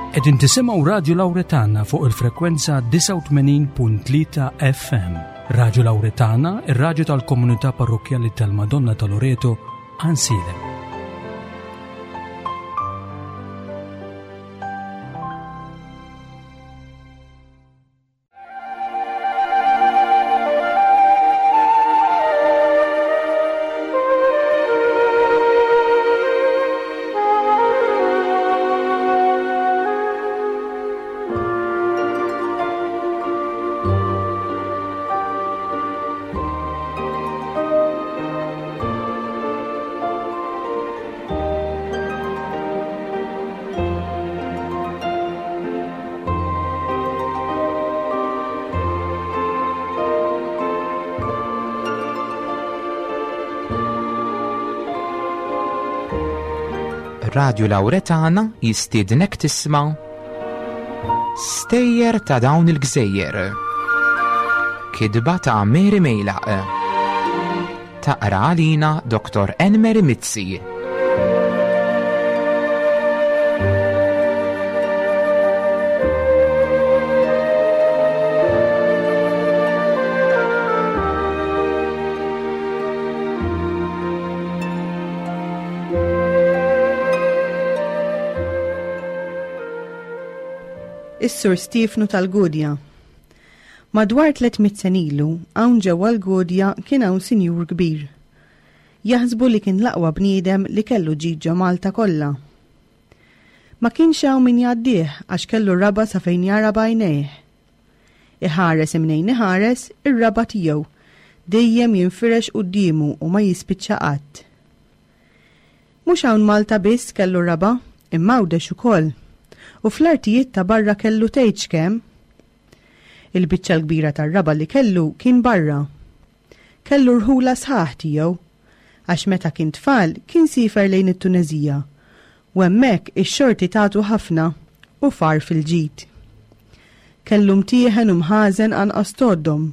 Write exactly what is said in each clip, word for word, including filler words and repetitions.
Qegħdin tisimgħu Radio Lauretana fuq il-frekwenza disgħa u tmenin punt tlieta F M. Radio Lauretana, ir-radju tal-komunità parrokjali tal-Madonna ta' Loreto, Għajnsielem. Radio Lauretana jistiednek tisma' Stejjer ta' dawn il-gżejjer. Kitba ta' Mary Mejlaq. Taqra għalina Doktor Enmeri Mizzi. Is-Sur Stiefnu tal-Gudja. Madwar tliet mitt sena ilu, hawn ġewwa l-Gudja kien hawn sinjur kbir. Jaħsbu li kien l-aqwa bniedem li kellu ġid ġo Malta kollha. Ma kienx hawn min jgħaddih għax kellu raba sa fejn jara b'għajnejh. Iħares imnejn iħares ir-raba tiegħu dejjem jinfirex quddiemu u ma jispiċċa qatt. Mhux hawn Malta biss kellu raba, imma Għawdex ukoll. U fl-artijiet ta' barra kellu tgħidx kemm. Il-biċċa l-kbira tar-raba li kellu kien barra. Kellu rħula sħaħ tiegħu, għax meta kien tfal kien siefer lejn it-Tunezija. U hemmhekk ix-xorti tatu ħafna u far fil-ġid. Kellu mtieħen u mħażen anqas tgħoddhom.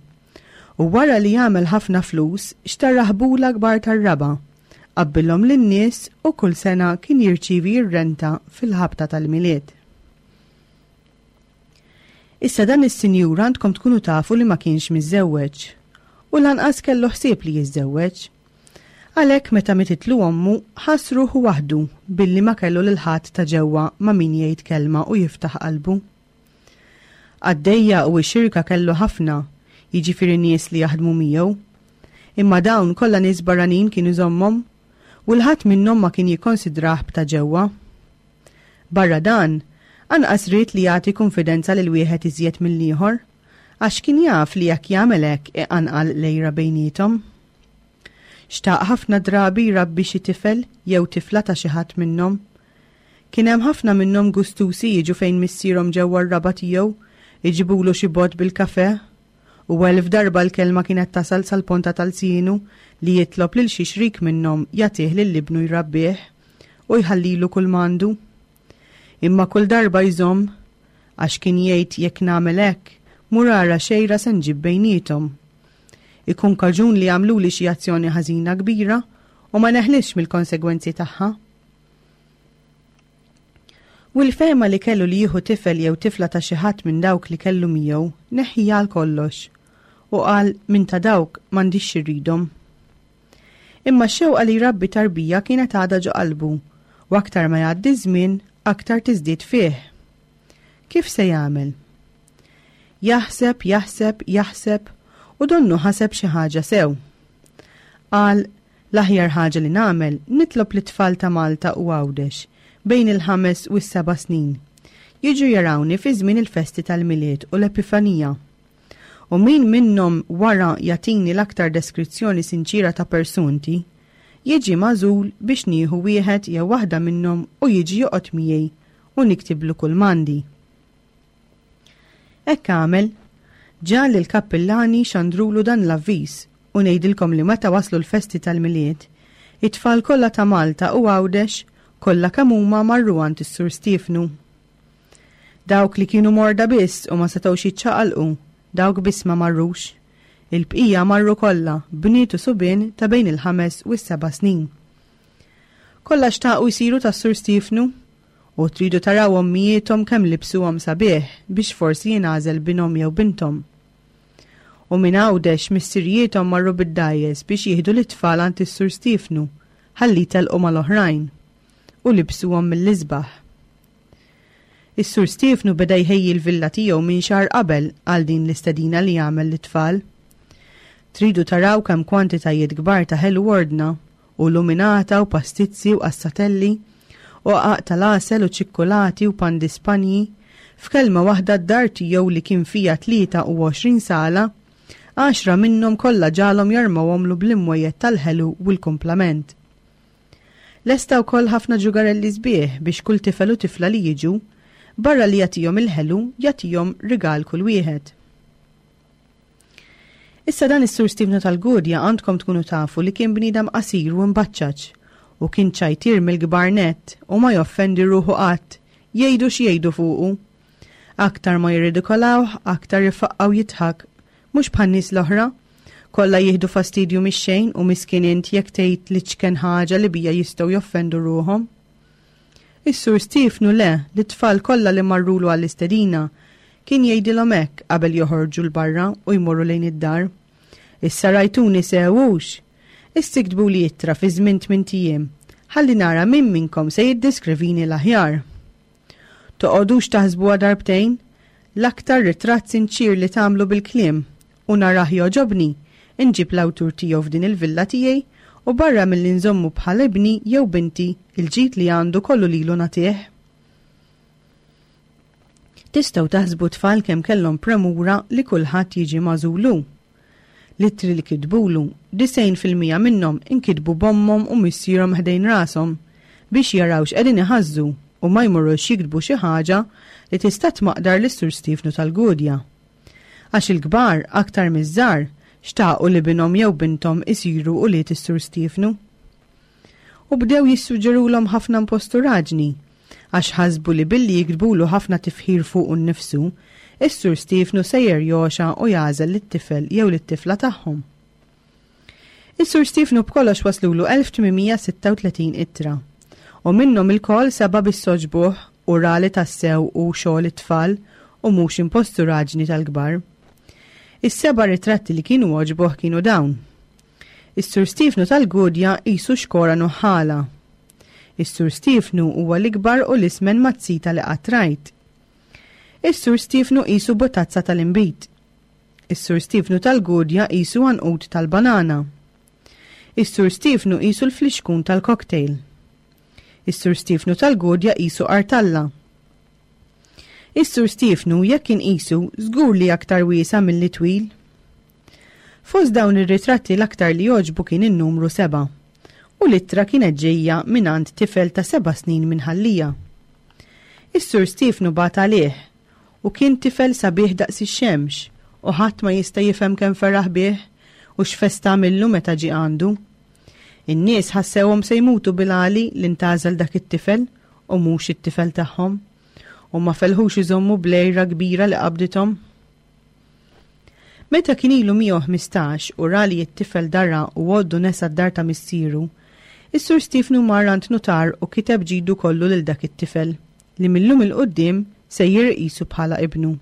U wara li jagħmel ħafna flus, xtara ħbula kbar tar-raba, qabbilhom lin-nies u kull sena kien jirċivi r-renta fil-ħabta tal-Milied. Issa dan is-sinjur għandkom tkunu tafu li ma kienx miżżewweġ u lanqas kellu ħsieb li jiżżewweġ. Għalhekk meta mititlu ommu ħass ruħu waħdu billi ma kellu lil ħadd ta' ġewwa ma' min jgħid kelma u jiftaħ qalbu. Għaddejja u xirka kellu ħafna, jiġifieri nies li jaħdmu miegħu. Imma dawn kollha nies barranin kienu jżommhom u l-ħadd minnhom ma kien jikkonsidrah b'ta' ġewwa. Barra dan, anqas ried li jagħti konfidenza lil wieħed iżjed mill-ieħor, għax kien jaf li jekk jagħmel hekk iqanqal l-għira bejniethom. Xtaq ħafna drabi jrabbi xi tifel jew tifla ta' xi ħadd minnhom. Kien hemm ħafna minnhom gustusi jiġu fejn missierhom ġewwa r-raba tiegħu, iġibulu xi bott bil-kafe, u elf darba l-kelma kienet tasal sal-ponta tal-sienu li jitlob lil xi xrik minnhom jagħtih lil ibnu jrabbih u jħallilu kull m'għandu. Imma kull darba jżomm, għax kien jgħid jekk nagħmel hekk, mur ara x'għira se nġib bejniethom. Ikun kaġun li jagħmlu li xi azzjoni ħażina kbira u ma neħlisx mill-konsegwenzi tagħha. U l-fehma li kellu li jieħu tifel jew tifla ta' xi ħadd minn dawk li kellu miegħu neħħija għal kollox u qal minn ta' dawk m'għandix irridhom. Imma x-xewqa li jrabbi tarbija kienet għadha ġo qalbu u aktar ma jgħaddi żmien aktar tiżdied fih. Kif se jagħmel? Jaħseb, jaħseb, jaħseb u donnu ħaseb xi ħaġa sew. Qal l-aħjar ħaġa li nagħmel nitlob lit-tfal ta' Malta u Għawdex bejn il-ħames u s-seba' snin. Jiġu jarawni fi żmien il-festi tal-Milied u l-Epifanija. U min minnhom wara jagħtini l-aktar deskrizzjoni sinċira ta' persunti, jiġi magħżul biex nieħu wieħed jew waħda minnhom u jiġi joqgħod miegħi u niktiblu kull m'għandi. Hekk għamel, ġa li l-kappillani xandrulu dan l-avviż u ngħidilkom li meta waslu l-festi tal-Milied, it-tfal kollha ta' Malta u Għawdex kollha kemm huma marru għand is-Sur Stiefnu. Dawk li kienu morda biss u ma setgħux jiċċaqalqu, dawk biss ma marrux. Il-bqija marru kollha, bniet u subien ta' bejn il-ħames u s-seba' snin. Kollha xtaqu jsiru tas-Sur Stiefnu U tridu taraw ommijiethom kemm libsuhom sabiħ biex forsi jingħażel binhom jew binthom. U minn Għawdex missirijiethom marru bid-dgħajjes biex jieħdu lit-tfal għand is-Sur Stiefnu ħalli jtelqu mal-oħrajn u libsuhom mill-isbaħ. Is-Sur Stiefnu beda jħejji l-villa tiegħu minn xahar qabel għal din l-istedina li għamel lit-tfal. Tridu taraw kemm kwantitajiet kbar ta' ħelu ordna u luminata u pastizzi u qassatelli u qagħaq tal-għasel u ċikkulati u pan di Spanji, f'kelma waħda d-dar tiegħu li kien fiha tlieta u għoxrin sala, għaxra minnhom kollha ġalhom jarmawhomlu bl-imwejjed tal-ħelu u l-kumplament. Lesta wkoll ħafna ġugarelli sbieħ biex kull tifel u tifla li jiġu, barra li jagħtihom il-ħelu, jagħtihom rigal kull wieħed. Issa dan is-Sur Stiefnu tal-Gudja għandkom tkunu tafu li kien bniedem qasir u mbaċċaċ u kien ċajtir mill-kbar nett u ma joffendi ruħu qatt, jgħidu x'jgħidu fuqu. Aktar ma jirridikolawh, aktar ifaqqgħu jidħak, mhux bħan-nies l-oħra. Kollha jieħdu fastidju mix-xejn u miskin int jekk tgħid l-iċken ħaġa li bija jistgħu joffendu ruħhom. Is-Sur Stiefnu le, lit-tfal kollha li marrulu għall-istedina, kien jgħidilhom hekk qabel joħorġu 'l barra u jmorru lejn id-dar. Issa rajtuni sewux. Issa iktbuli ittra fi żmien tmint ijiem, ħalli nara min minnkom se jiddeskrivini l-aħjar. Toqgħodux taħsbuha darbtejn, l-aktar ritratt sinċir li tagħmlu bil-kliem u narah jogħġobni, inġib l-awtur tiegħu f'din il-villa tiegħi u barra milli nżommu bħal ibni jew binti il-ġid li għandu kollu lilu nagħtih. Tistgħu taħsbu tfal kemm kellhom premura li kulħadd jiġi magħżulu. L-ittri li kitbulu, disgħin fil-mija minnhom inkitbu b'ommhom u missierhom ħdejn rashom biex jaraw x'qegħdin iħażżu u ma jmorrux jiktbu xi ħaġa li tista' tmaqdar lis-Sur Stiefnu tal-Gudja. Għax il-kbar aktar miż-żgħar xtaqu li binhom jew binthom isiru ulied is-Sur Stiefnu. U bdew jissuġġerulhom ħafna imposturaġni, għax ħasbu li billi jiktbulu ħafna tifħir fuqu nnifsu, is-Sur Stiefnu sejjer joxa u jagħżel lit-tifel jew lit-tifla tagħhom. Is-Sur Stiefnu b'kollox waslulu elf tmien mija sitta u tletin ittra, u minnhom ilkoll seba' bis-soġbuh u rali tassew u xogħol it-tfal u mhux imposturaġni tal-kbar. Is-seba' ritratti li kienu għoġbuh kienu dawn. Is-Sur Stiefnu tal-Gudja qisu xkora nuħħala. Is-Sur Stiefnu huwa l-ikbar u l-ismen mazzita li qatt rajt. Is-Sur Stiefnu qisu botazza tal-inbid. Is-Sur Stiefnu tal-Gudja qisu għanqud tal-banana. Is-Sur Stiefnu qisu l-flixkun tal-cocktail. Is-Sur Stiefnu tal-Gudja qisu qartalla. Is-Sur Stiefnu jekk inqisu żgur li aktar wiesa' milli twil. Fost dawn ir-ritratti l-aktar li jogħġbu kien in-numru seba' u l-ittra kienet ġejja mingħand tifel ta' seba' snin minn Ħal Lija. Is-Sur Stiefnu bagħat għalih u kien tifel sabiħ daqs ix-xemx u ħadd ma jista' jifhem kemm feraħ bih u x'festa għamillu meta ġie għandu. In-nies ħassewhom se jmutu bil-għali li ntgħażel dak it-tifel u mhux it-tifel tagħhom, u ma felħux iżommu blejra kbira li qabdithom. Meta kien ilu mija u ħmistax u ra li t-tifel dara u għoddu nesa d-dar ta' missieru, is-Sur Stiefnu mar għand nutar u kiteb ġidu kollu lil dak it-tifel li millum il-qudiem sejjer iqisu bħala ibnu.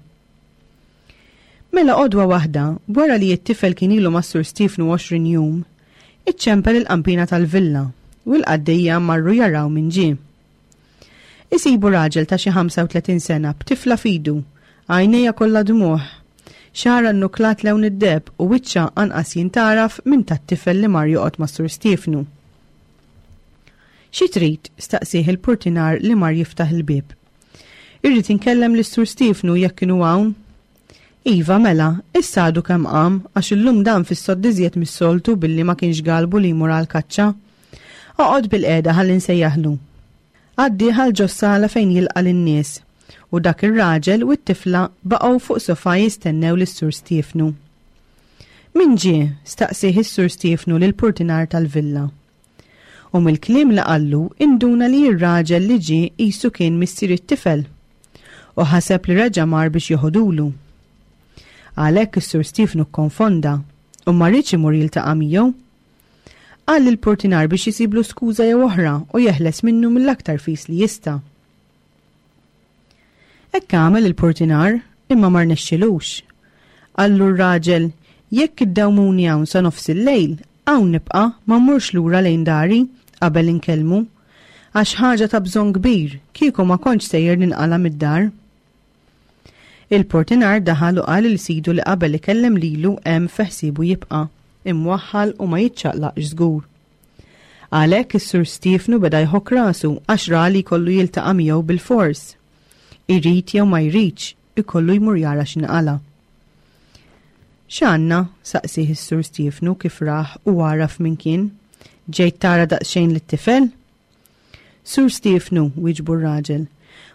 Mela għodwa waħda, wara li t-tifel kien ilu mas-Sur Stiefnu għoxrin jum, iċċempel il-qampina tal-villa u l-qaddejja marru jaraw min ġie. Isibu raġel ta' xi ħamsa u tletin sena b'tifla fidu, għajnejha kollha dmugħ, xagħarha nnuklat lewn id-deheb u wiċċha anqas jintaraf minn tat-tifel li mar joqgħod mas-Sur Stiefnu. Xi trid? Staqsih il-purtinar li mar jiftaħ il-bieb. Irrid inkellem lis-Sur Stiefnu jekk kienu hawn. Iva, mela, issa għadu kemm qam, għax illum dan fis-sodd iżjed mis-soltu billi ma kienx galbu li jmur għall-kaċċa. Oqgħod bil-qiegħda ħalli nsejjaħlu. Għaddi ħal ġos-sala fejn jilqa' lin-nies, u dak ir-raġel u t-tifla baqgħu fuq sofa jistennew lis-Sur Stiefnu. Min ġie? Staqsih is-Sur Stiefnu lil purtinar tal-villa. U mill-kliem li qallu induna li r-raġel li ġie qisu kien missier it-tifel u ħaseb li reġa' mar biex joħodulu. Għalhekk is-Sur Stiefnu kkonfonda u ma riedx imur jiltaqa' miegħu. Qal lill-purtinar biex jisiblu skuża jew oħra u jeħles minnu mill-aktar fis li jista'. Hekk għamel il-portinar, imma ma rnexxilux. Qallu r-raġel, jekk iddawmuni hawn sa nofs il-lejl, hawn nibqa' ma mmurx lura lejn dari qabel inkellmu. Għax ħaġa ta' bżonn kbir, kieku ma kontx sejjer ninqala' mid-dar. Il-portinar daħal u qal lil sidu li qabel ikellem lilu hemm fi ħsiebu jibqa', imwaħħal u ma jiċċaqlaqx żgur. Għalhekk is-Sur Stiefnu beda jħokk rasu għax ra li jkollu jiltaqa' miegħu bilfors. Irid jew ma jridx, ikollu jmur jara x'inqala'. X'għandna? saqsieh is-Sur Stiefnu kif rah u għaraf min kien. Ġejt tara daqsxejn lit-tifel? Sur Stiefnu, wieġbu r-raġel,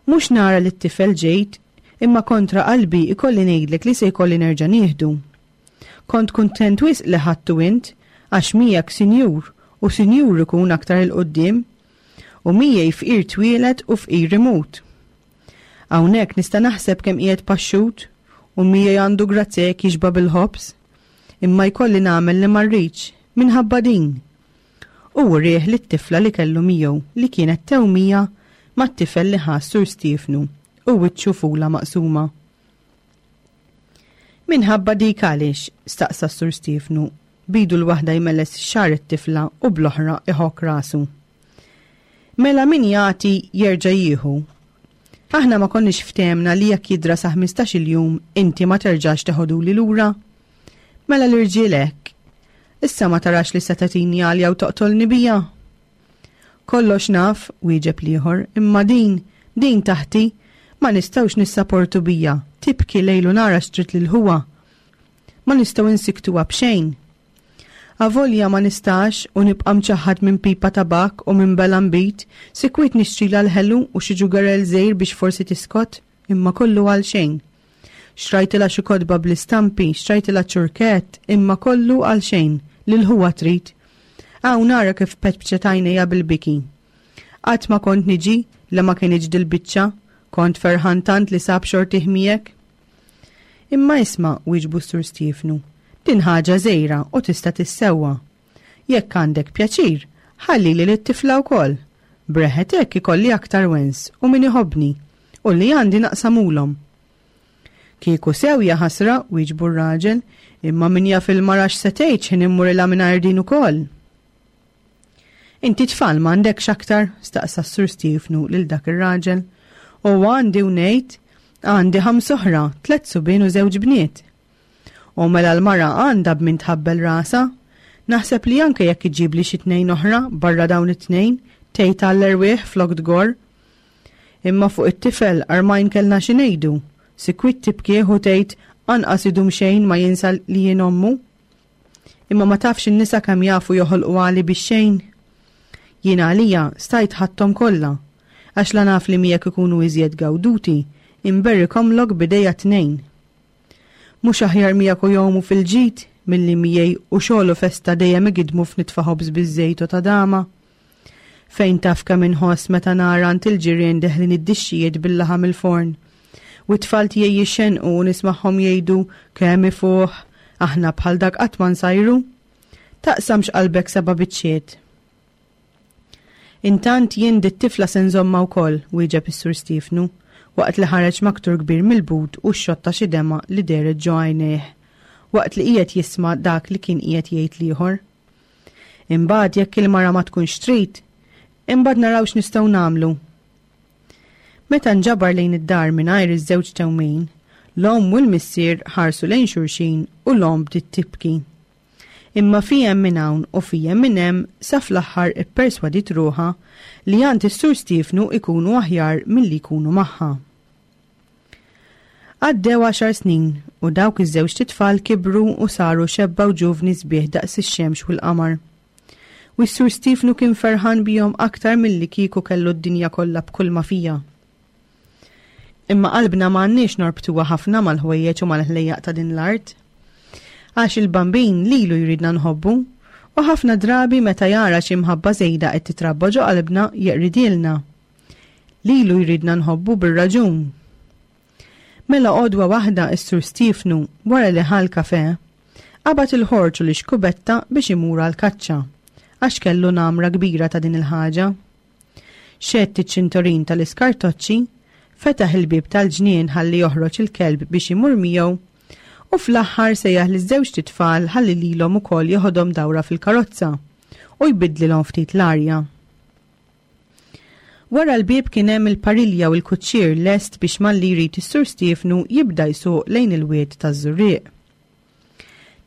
mhux nara lit-tifel ġejt, imma kontra qalbi ikolli ngħidlek li se jkolli nerġa' nieħdu. Kont kuntent wisq li ħadtu int, għax miegħek sinjur, u sinjur ikun aktar 'il quddiem. U miegħi fqir twieled u fqir imut. Hawnhekk nista' naħseb kemm qiegħed paxxut, u miegħi għandu grazzja jekk jixba' bil-ħobż. Imma jkolli nagħmel li ma rridx, minħabba din. U wrieh lit-tifla li kellu miegħu, li kienet tewmija mat-tifel li ħa s-Sur Stiefnu, u wiċċu fula maqsuma. Minħabba dik għaliex? staqsa s-Sur Stiefnu, b'idu l-waħda jmelles xagħar it-tifla u bl-oħra iħokk rasu. Mela min jagħti jerġa' jieħu. Aħna ma konniex ftehemna li jekk jidra sa ħmistax-il jum inti ma terġax teħoduli lura? Mela l-irġiel hekk. Issa ma tarax li se tagħtini għalja u toqtolni bija? Kollox naf, wieġeb l-ieħor, imma din, din taħti, ma nistgħux nissaportu bija, tibki lejl u nhar għax trid lil ħuha. Ma nistgħu insikktuha b'xejn. Avolja ma nistax u nibqa' mċaħħad minn pipa tabakk u minn bela nbid, sikwit nixtrilha l-ħelu u xi ġugarell żgħir biex forsi tiskot, imma kollu għal xejn. Xtrajtilha xi kotba bl-istampi, xtrajtilha ċurkett, imma kollu għal xejn, lil ħuha trid. Hawn ara kif petpċet għajnejha bil-biki. Qatt ma kont niġi la ma kinitx dil-biċċa, kont ferħan tant li sab xortih miegħek. Imma isma', wieġbu s-Sur Stiefnu, din ħaġa żgħira u tista' tissewwa. Jekk għandek pjaċir, ħallili lit-tifla wkoll. Breħet hekk ikolli aktar wens u min iħobbni, u li għandi naqsamulhom. Kieku sew ja ħasra, wieġbu r-raġel, imma min jaf il-mara x'se tgħid x'ħin immurilha mingħajr din ukoll. Inti tfal m'għandekx aktar? staqsa s-Sur Stiefnu lil dak ir-raġel. U għandi u ngħid, għandi ħams oħra, tliet subien u żewġ bniet. U mela l-mara għandha b'min tħabbel rasha? Naħseb li anke jekk iġibli xi tnejn oħra barra dawn it-tnejn, tgħid għall-erwieħ flok tgorr. Imma fuq it-tifel armajn kellna xi ngħidu. Sikwit tibkih u tgħid anqas idum xejn ma jinsa li jien ommu. Imma ma tafx in-nisa kemm jafu joħolqu għali bix-xejn. Jien għalija stajt ħadthom kollha, għax la naf li miegħek ikunu iżjed gawduti, inberrikomlok b'idejja t-tnejn. Mhux aħjar miegħek u jgħumu fil-ġid milli miegħi u xogħol u festa dejjem igidmu f'nitfa' ħobż biż-żejt u tadama? Fejn taf kemm inħoss meta nara għand il-ġirien deħlin id-dixxijiet bil-laħam il-forn. U t-tfal tiegħi jixxenqu u nismagħhom jgħidu kemm ifuħ, aħna bħal dak qatt ma nsajru. Taqsamx qalbek seba' biċċiet. Intant jien dit-tifla se nżommha wkoll, wieġeb is-Sur Stiefnu, waqt li ħareġ maktur kbir mill-but u xxotta xi demgħa li dehret ġo għajnejh, waqt li qiegħed jisma' dak li kien qiegħed jgħid l-ieħor. Imbagħad jekk il-mara ma tkunx trid, imbagħad naraw x'nistgħu nagħmlu. Meta nġabar lejn id-dar mingħajr iż-żewġ tewmin, l-omm u l-missier ħarsu lejn xulxin u l-omm bdiet tibki. Imma fihem minn hawn u fihem minn hemm sa fl-aħħar ipperswadiet ruħha li għand is-Sur Stiefnu ikunu aħjar milli jkunu magħha. Għaddew għaxar snin u dawk iż-żewġt itfal kibru u saru xebba u ġuvni sbieħ daqs ix-xemx u l-qamar. U s-Sur Stiefnu kien ferħan bihom aktar milli kieku kellu d-dinja kollha b'kull ma fiha. Imma qalbna ma għandniex norbtuha ħafna mal-ħwejjeġ u mal-ħlejjaq ta' din l-art. Għax il-Bambin lilu jridna nħobbu, u ħafna drabi meta jara xi mħabba żejda qed titrabba ġo qalbna jeqridilna. Lilu jridna nħobbu bir-raġun. Mela għodwa waħda s-Sur Stiefnu, wara li ħa l-kafè, qabad il-ħorġ u l-ixkubetta biex imur għall-kaċċa, għax kellu namra kbira ta' din il-ħaġa. Xedd iċ-ċintorin tal-iskartoċċi, Fetaħ il-bieb tal-ġnien ħalli joħroġ il-kelb biex imur miegħu u fl-aħħar sejjaħ liż-żewġt itfal ħalli lilhom ukoll joħodhom dawra fil-karozza u jbiddlilhom ftit l-arja. Wara l-bieb kien hemm il-parilja u l-kuċċier lest biex malli jrid is-Sur Stiefnu jibda jsuq lejn il-wied taż-Żurrieq.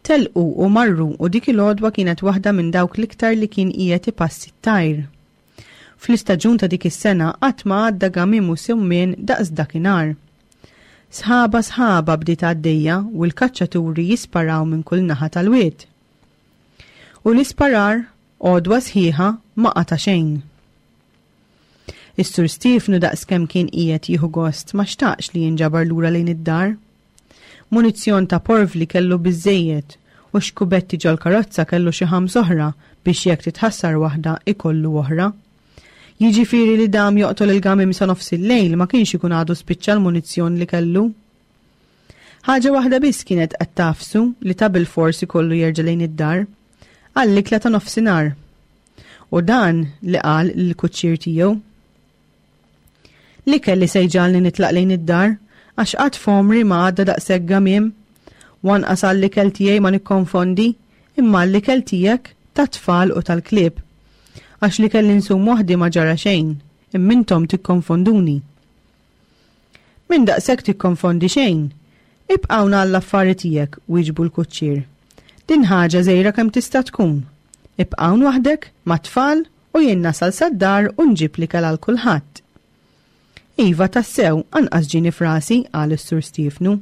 Telqu u marru u dik il-għodwa kienet waħda minn dawk l-iktar li kien qiegħed ipassi t-tajr. Fl-istaġun ta' dik is-sena qatt ma għadda gamiem u summien daqs dakinhar. Sħaba sħaba bdiet għaddejja u l-kaċċaturi jisparaw minn kull naħa tal-wied. U l-isparar, għodwa sħiħa, ma qata' xejn. Is-Sur Stiefnu daqskemm kien qiegħed jieħu gost ma xtaqx li jinġabar lura lejn id-dar. Munizzjon ta' porvli kellu biżżejjed u xkubetti ġol-karozza kellu xi ħams oħra biex jekk titħassar waħda ikollu oħra. Jiġifieri li dam joqtol il-gamiem sa nofs il-lejl ma kienx ikun għadu spiċċa l-munizzjon li kellu. Ħaġa waħda biss kienet qed tafsu li ta' bilfors ikollu jerġa' lejn id-dar, għall-ikla ta' nofsinhar. U dan li qal lill-kuċċier tiegħu. L-ikel li se jġagħalni nitlaq lejn id-dar, għax qatt f'għomri ma għadda daqshekk gamiem. U anqas għall-ikel tiegħi ma nikkonfondi, imma għall-ikel tiegħek, tat-tfal u tal-klieb. Għax l-ikel li nsum waħdi ma ġara xejn, imma intom tikkonfonduni. Minn daqshekk tikkonfondi xejn. Ibqa' hawn għall-affari tiegħek, wieġbu l-kuċċier. Din ħaġa żgħira kemm tista' tkun. Ibqa' hawn waħdek, mat-tfal, u jien nasal sad-dar u nġib l-ikel għal kulħadd. Iva, tassew, anqas ġieni f'rasi, qal is-Sur Stiefnu.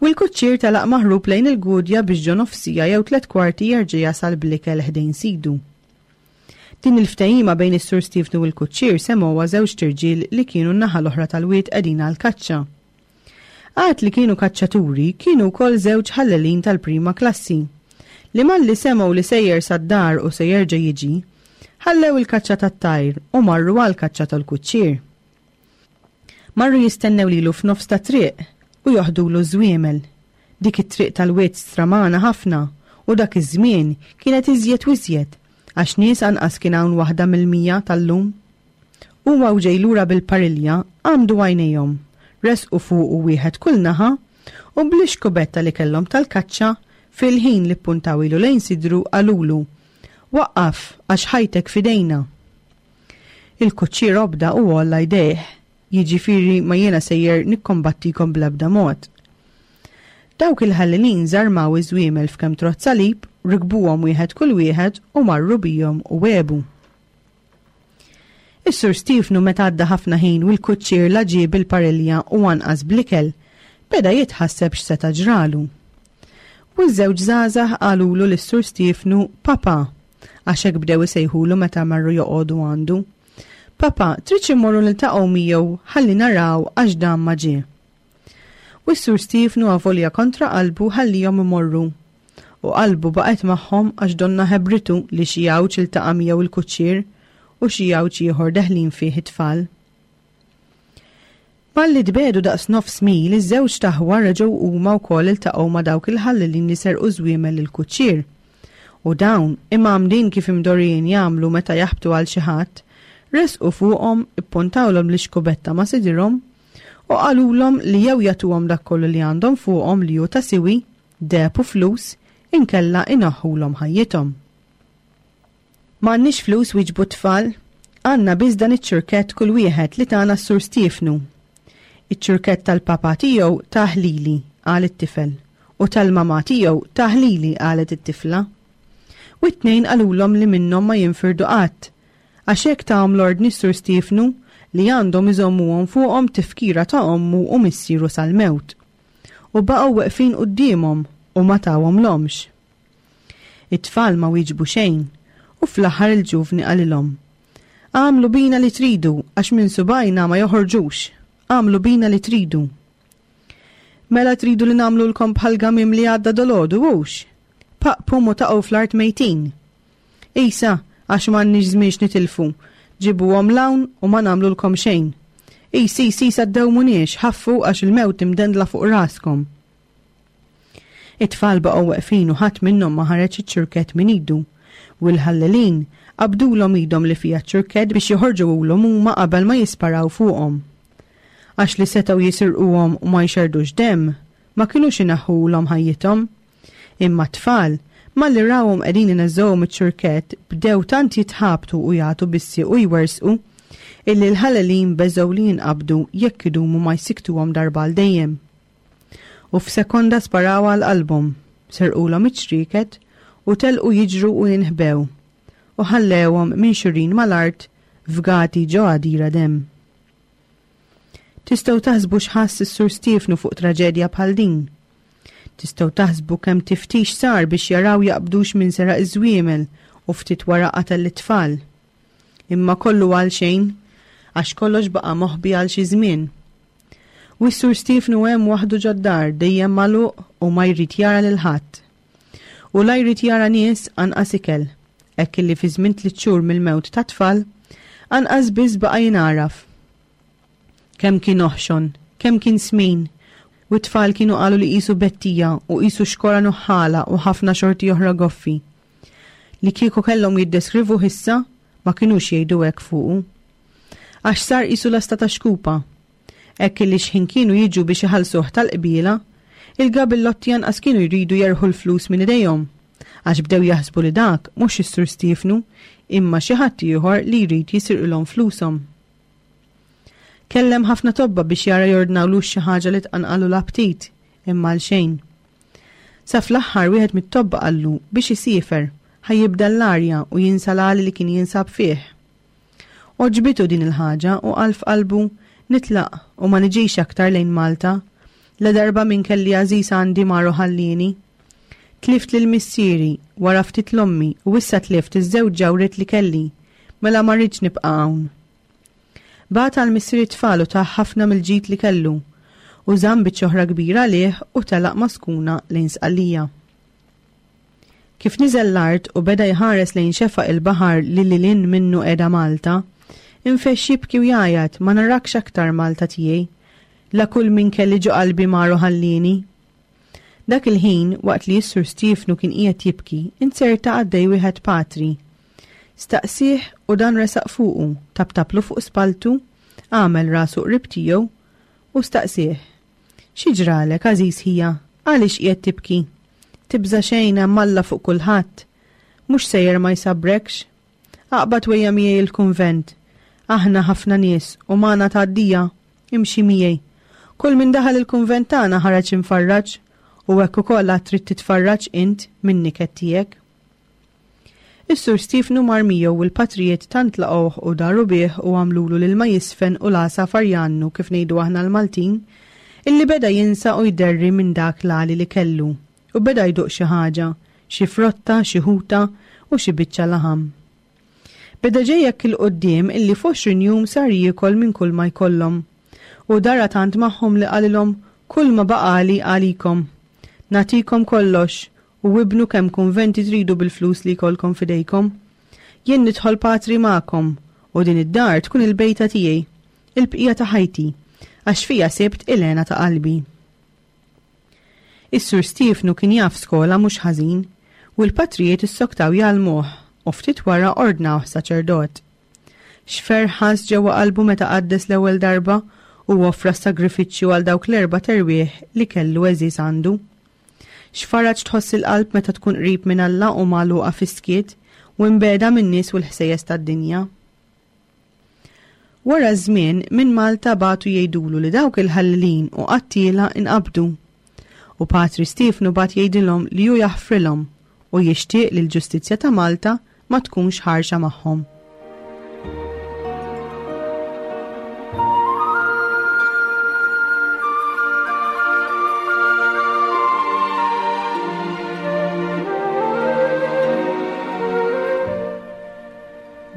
U l-kuċċier telaq maħrub lejn il-Gudja biex ġo nofsija jew tliet kwarti jerġa' jasal bl-ikel ħdejn sidu. Din il-ftehima bejn is-Sur Stiefnu u l-kuċċier semgħuha żewġt irġiel li kienu n-naħa l-oħra tal-wied qegħdin għall-kaċċa. Għad li kienu kaċċaturi, kienu wkoll żewġ ħallelin tal-prima klassi, li malli semgħu li sejjer sad-dar u se jerġa' jiġi, ħallew il-kaċċa tat-tajr u marru għall-kaċċa tal-kuċċier. Marru jistennew lilu f'nofs ta' triq u joħdulu ż-żwiemel. Dik it-triq tal-wied stramana ħafna u dak iż-żmien kienet iżjed u iżjed għax nies anqas kien hawn waħda mill-mija tal-lum. Huwa u ġej lura bil-parilja għamdu għajnejhom, resqu fuqu wieħed kull naħa u bl-ixkubetta li kellhom tal-kaċċa fil-ħin li ppuntaw ilu lejn sidru qalulu, Waqqaf għax ħajtek f'idejna. Il-kuċċier obda u għolla jdejh, jiġifieri ma jiena sejjer nikkombattikom bl-ebda mod. Dawk il-ħallelin żarmaw iż-żwiemel f'kemm trott salib, rikbuhom wieħed kull wieħed u marru bihom u għebu. Is-Sur Stiefnu meta għadda ħafna ħin u l-kuċċier la ġie bil-parilja u anqas bl-ikel, beda jitħasseb x'seta' ġralu. U ż-żewġ żgħażagħ qalulu lis-Sur Stiefnu Papa, għax hekk bdew isejħulu meta marru joqogħdu għandu. Papa, tridx immorru niltaqgħu miegħu ħalli naraw għax dan ma ġie. U s-Sur Stiefnu avolja kontra qalbu ħallihom imorru. U qalbu baqgħet magħhom għax donna ħebritu li xi għawġ iltaqa' miegħu il-kuċċier u xi għawġ ieħor deħlin fih it-tfal. Malli tbiegħdu daqs nofs mil, iż-żewġt aħwa reġgħu huma wkoll iltaqgħu ma' dawk il-ħallelin li serqu żwiemel lill-kuċċier. U dawn, imgħammdin kif imdorrijin jagħmlu meta jaħbtu għal xi ħadd, resqu fuqhom, ippuntawlhom l-ixkubetta ma' sidirhom u qalulhom li jew jagħtuhom dak kollu li għandhom fuqhom li hu ta' siwi, deheb u flus, inkella inaħħulhom ħajjithom. M'għandniex flus, wieġbu t-tfal, għandna biss dan iċ-ċurkett kull wieħed li tana s-Sur Stiefnu. Iċ-ċurkett tal-papa tiegħu tah lili, qal it-tifel, u tal-mamà tiegħu tah lili, qalet it-tifla. U t-tnejn qalulhom li minnhom ma jinfirdu qatt, għax hekk tahom l-ordni s-Sur Stiefnu li għandhom iżommuhom fuqhom tifkira ta' ommu u missieru sal-mewt. U baqgħu weqfin quddiemhom u ma tawhomlhomx. It-tfal ma wieġbu xejn, u fl-aħħar il-ġuvni qalilhom, Agħmlu bina li tridu, għax minn subgħajna ma joħorġux. Agħmlu bina li tridu. Mela tridu li nagħmlulkom bħal gamiem li għadda dolgħodu, hux? Paqpum u taqgħu fl-art mejtin. Isa, għax m'għandniex żmien x'nitilfu, ġibuhom 'l hawn u ma nagħmlulkom xejn. Is, is, isa ddewmuniex, ħaffu għax il-mewt imdendla fuq raskom. It-tfal baqgħu weqfin u ħadd minnhom ma ħareġ iċ-ċurkett minn idu. U l-ħallelin qabdulhom idhom li fiha ċ-ċurkett biex joħorġuhulhom huma qabel ma jisparaw fuqhom. Għax li setgħu jisirquhom u ma jxerdux demm, ma kinux inaħħulhom ħajjithom. Imma t-tfal, malli rawhom qegħdin ineżżgħuhom iċ-ċurkett, bdew tant jitħabtu u jagħtu bis-sieq u jwersqu, illi l-ħalelin beżgħu li jinqabdu jekk idumu ma jsikktuhom darba għal dejjem. U f'sekonda sparaw għal qalbhom, serqulhom iċ-ċrieket u telqu jiġru u jinħbew, u ħallewhom minxurin mal-art fgati ġo għadira demm. Tistgħu taħsbu x'ħass is-Sur Stiefnu fuq traġedja bħal din. Tistgħu taħsbu kemm tiftix sar biex jaraw jaqbdux min seraq iż-żwiemel u ftit wara qatel lit-tfal. Imma kollu għal xejn, għax kollox baqa' moħbi għal xi żmien. U s-Sur Stiefnu hemm waħdu ġod-dar dejjem magħluq u ma jrid jara lil ħadd. U la jrid jara nies anqas ikel, hekk illi fi żmien tliet xhur mill-mewt tat-tfal, anqas biss baqa' jingħaraf. Kemm kien oħxon, kemm kien smin, u t-tfal kienu qalu li qisu bettija u qisu xkora nuħħala u ħafna xorti oħra goffi. Li kieku kellhom jiddeskrivuh issa, ma kinux jgħidu hekk fuqu. Għax sar qisu lasta ta' xkupa. Hekk illi xħin kienu jiġu biex iħallsuh tal-qbiela, il-gabillotti anqas kienu jridu jerħu l-flus minn idejhom, għax bdew jaħsbu li dak mhux is-Sur Stiefnu, imma xi ħadd ieħor li jrid jisirqilhom flushom. Kellem ħafna tobba biex jara jordnawlux xi ħaġa li tqanqalu l-aptit, imma għal xejn. Sa fl-aħħar wieħed mit-tobba qallu biex isiefer, ħa jibda l-arja u jinsa l-għali li kien jinsab fih. Għoġbitu din il-ħaġa u qal f'qalbu, nitlaq u ma niġix aktar lejn Malta, la darba minn kelli għażiż għandi mar u ħallieni. Tlift lil missieri, wara ftit l-ommi u issa tlift iż-żewġ ġawriet li kelli, mela ma rridx nibqa' hawn. Bagħat għal missier it-tfal u tah ħafna mill-ġid li kellu, u żamm biċċa oħra kbira għalih u telaq ma' skuna lejn Sqallija. Kif niżel l-art u beda jħares lejn xefaq il-baħar li lil hinn minnu qiegħda Malta, infexx jibki u jgħajjat, ma narakx aktar Malta tiegħi, la kull min kelli ġo qalbi mar u ħallieni. Dak il-ħin, waqt li s-Sur Stiefnu kien qiegħed jibki, inzerta għaddej wieħed patri. Staqsih u dan resaq fuqu, taptaplu fuq spaltu, għamel rasu qrib tiegħu u staqsih. Xi ġralek, għażiż ħija, għaliex qiegħed tibki? Tibża' xejn hemm Alla fuq kulħadd. Mhux sejjer ma jsabrekx. Aqbad wejja miegħi il-kunvent. Aħna ħafna nies u magħna tgħaddija, imxi miegħi. Kull min daħal il-kunvent tagħna ħareġ imfarraġ, u hekk ukoll għad trid titfarraġ int minn niket tiegħek. Is-Sur Stiefnu mar miegħu u l-patrijiet tant laqgħuh u daru bih u għamlulu l-ilma jisfen u l-għasafar jgħannu kif ngħidu aħna l-Maltin, illi beda jinsa u jderri minn dak l-għali li kellu u beda jduq xi ħaġa, xi frotta, xi ħuta u xi biċċa laħam. Beda ġej hekk il-quddiem illi f'għoxrin jum sar jiekol minn kull ma jkollhom. U dara tant magħhom li qalilhom kull ma baqali għalikom. Nagħtikom kollox u ibnu kemm kunventi tridu bil-flus li jkollkom f'idejkom. Jien nidħol patri magħkom u din id-dar tkun il-bejta tiegħi, il-bqija ta' ħajti, għax fija sibt il-hena ta' qalbi. Is-Sur Stiefnu kien jaf skola mhux ħażin u l-patrijiet issoktaw jgħallmuh u ftit wara ordnawh saċerdot. X'ferħ ħass ġewwa qalbu meta qaddes l-ewwel darba u offra s-sagrifiċċju għal dawk l-erba' terwieħ li kellu għeżież għandu. X'faraġ tħoss il-qalb meta tkun qrib minn Alla u magħluqa fis-skiet u imbeda min-nies u l-ħsejjes tad-dinja. Wara żmien minn Malta bagħtu jgħidulu li dawk il-ħallelin u qattiela inqabdu. U Patri Stiefnu bagħat jgħidilhom li hu jaħfrilhom u jixtieq li l-ġustizzja ta' Malta ma tkunx ħarxa magħhom.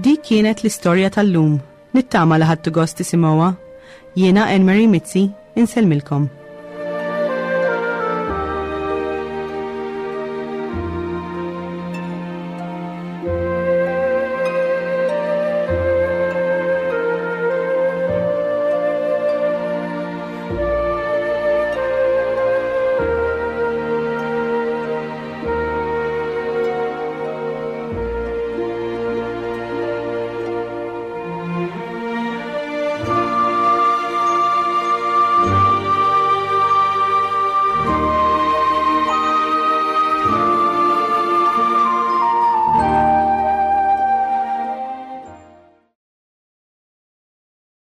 Dik kienet l-istorja tal-lum. Nittama li ħadtu gost tisimgħuha. Jiena Anne Marie Mizzi, insellmilkom.